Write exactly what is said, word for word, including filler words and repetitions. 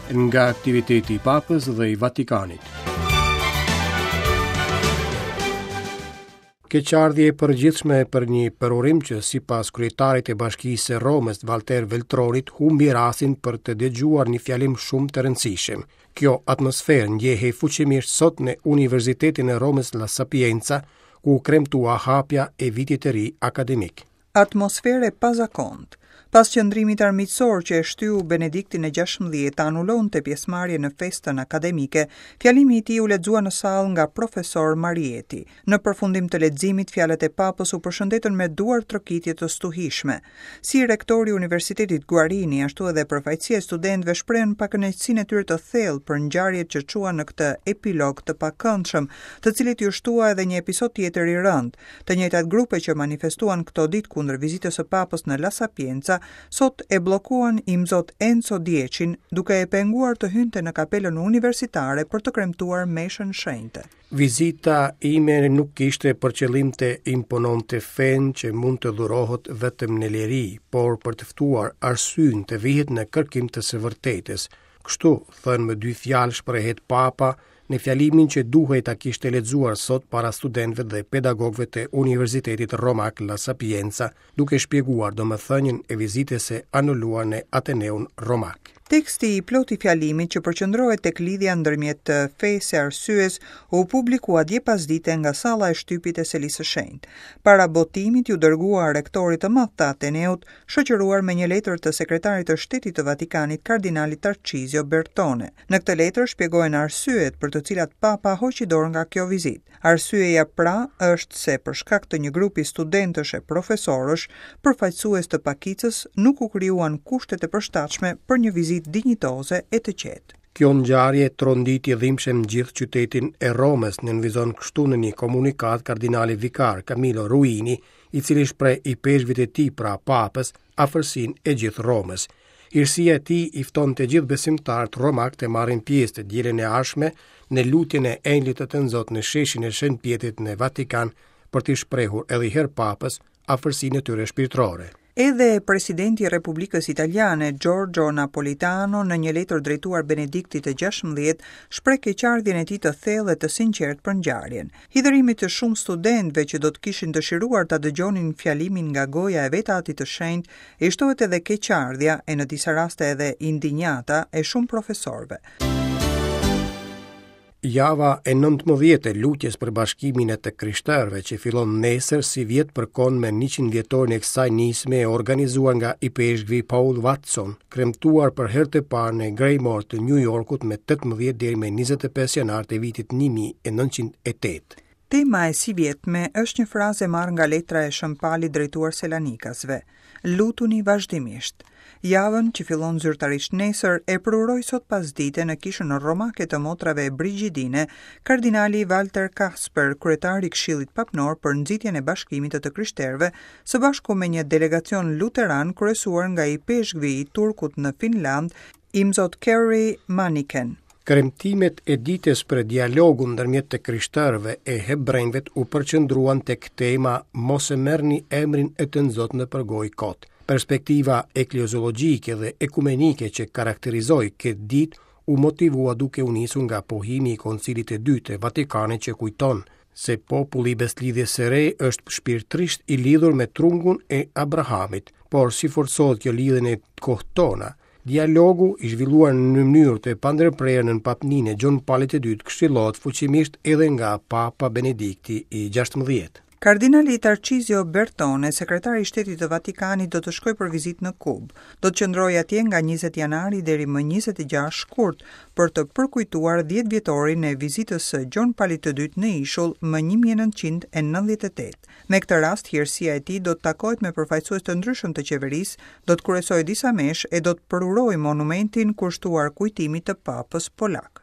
Nga aktiviteti i Papës dhe i Vatikanit. Keqardhje e përgjithshme për një përurim që sipas kryetarit të Bashkisë së Romës, Walter Veltronit, humbi rastin për të dëgjuar një fjalim shumë të rëndësishëm. Kjo atmosferë ndjehej fuqimisht sot në Universitetin e Romës La Sapienza, ku u kremtua hapja e vitit të ri akademik. Atmosferë e pazakontë. Pas qëndrimit armiqësor që e shtyu Benediktin e gjashtëmbëdhjetë të anulonte pjesëmarrjen në festën akademike, fjalimi i tij u lexua në sallë nga profesor Marieti. Në përfundim të leximit, fjalët e papës u përshëndetën me duar trokitje të stuhishme. Si rektori i Universitetit Guarini, ashtu edhe përfaqësia e studentëve shprehën pakënaqësinë e tyre të thellë për ngjarjet që çuan në këtë epilog të pakëndshëm, të cilit iu shtua edhe një episod tjetër i rëndë. Të njëjtat grupe që manifestuan këto ditë kundër vizitës së papës në La Sapienza, sot e bllokuan imzot Enzo Diecin, duke e penguar të hynte në kapelën universitare për të kremtuar meshën shenjte. Vizita ime nuk kishte për qëllim të impononte fenë që mund të dhurohet vetëm në liri, por për të ftuar arsyen të vihet në kërkim të së vërtetës. Kështu, thënë me dy fjalë, shprehet Papa në fjalimin që duhej ta kishte lexuar sot para studentëve dhe pedagogëve të Universitetit Romak La Sapienza, duke shpjeguar domethënien e vizitës së anuluar në Ateneun Romak. Teksti i plot i fjalimit që përqendrohet tek lidhja ndërmjet fesë e arsyes u publikua dje pasdite nga salla e shtypit e Selisë së Shenjtë. Para botimit ju dërgua rektorit të madh të Ateneut, shoqëruar me një letër të sekretarit të Shtetit të Vatikanit, kardinalit Tarcizio Bertone. Në këtë letër shpjegohen arsyet për të cilat Papa hoqi dorë nga kjo vizitë. Arsyeja pra është se për shkak të një grupi studentësh e profesorësh, përfaqësues të pakicës nuk u krijuan kushtet e përshtatshme për një vizitë dinjitoze e të qetë. Kjo ngjarje tronditi dhimbshëm gjithë qytetin e Romës, nënvizon kështu në një komunikat kardinali vikar Camillo Ruini, i cili shpreh i peshvit e tij pra Papës afërsinë e gjithë Romës. Hirësia e tij i fton të gjithë besimtarët romak të marrin pjesë të dielën e ardhshme në lutjen e Engjëllit të Tënzot në sheshin e Shën Pjetrit në Vatikan për t'i shprehur edhe i herë Papës afërsinë e tyre shpirtërore. Edhe presidenti i Republikës Italiane, Giorgio Napolitano, në një letër drejtuar Benediktit të gjashtëmbëdhjetë, shpreh keqardhjen e tij të thellë dhe të sinqertë për ngjarjen. Hidhërimit të shumë studentëve që do të kishin dëshiruar ta dëgjonin fjalimin nga goja e vetë Atit të Shenjtë, i shtohet edhe keqardhja e në disa raste edhe indinjata e shumë profesorëve. Java e nëntëmbëdhjetë e lutjes për bashkimin e të krishterëve që fillon nesër si vjet përkon me njëqind vjetorin e kësaj nisme e organizuar nga ipeshkvi Paul Watson, kremtuar për herë të parë në Graymoor të New Yorkut me tetëmbëdhjetë deri me njëzet e pesë janar të vitit një mijë e nëntëqind e tetë. Tema e sivjetme është një frazë e marrë nga letra e Shën Palit drejtuar Selanikasve. Lutuni vazhdimisht. Javën që fillon zyrtarisht nesër e përuroi sot pasdite në kishën romake të motrave Brigidine, kardinali Walter Kasper, kryetar i Këshillit Papnor për nxitjen e bashkimit të të krishterëve, së bashku me një delegacion luteran kryesuar nga ipeshkvi i Turkut në Finland, Imzot Kerry Maniken. Kremtimet e ditës për dialogun ndërmjet të krishterëve e hebrejve u përqendruan tek tema Mos e merrni emrin e të nxot në përgojë kot. Perspektiva ekleziologjike dhe ekumenike që karakterizoi këtë ditë u motivua duke u nisur nga pohimi i Koncilit të Dytë të Vatikanit që kujton se populli i Besëlidhjes së Re është shpirtërisht i lidhur me trungun e Abrahamit, por si forcohet kjo lidhje në kohët tona? Dialogu i zhvilluar në mënyrë të pandërprerë nën papninë e Gjon Palit të Dytë këshillohet fuqimisht edhe nga Papa Benedikti i gjashtëmbëdhjetë. Kardinali Tarcizio Bertone, sekretari i Shtetit të Vatikanit, do të shkojë për vizitë në Kubë. Do të qëndrojë atje nga njëzet janari deri më njëzet e gjashtë shkurt për të përkujtuar dhjetë vjetorin e vizitës së Gjon Palit të Dytë në ishull më një mijë e nëntëqind e nëntëdhjetë e tetë. Me këtë rast, hirësia e tij do të takohet me përfaqësues të ndryshëm të qeverisë, do të kryesojë disa meshë e do të përurojë monumentin kushtuar kujtimit të Papës Polak.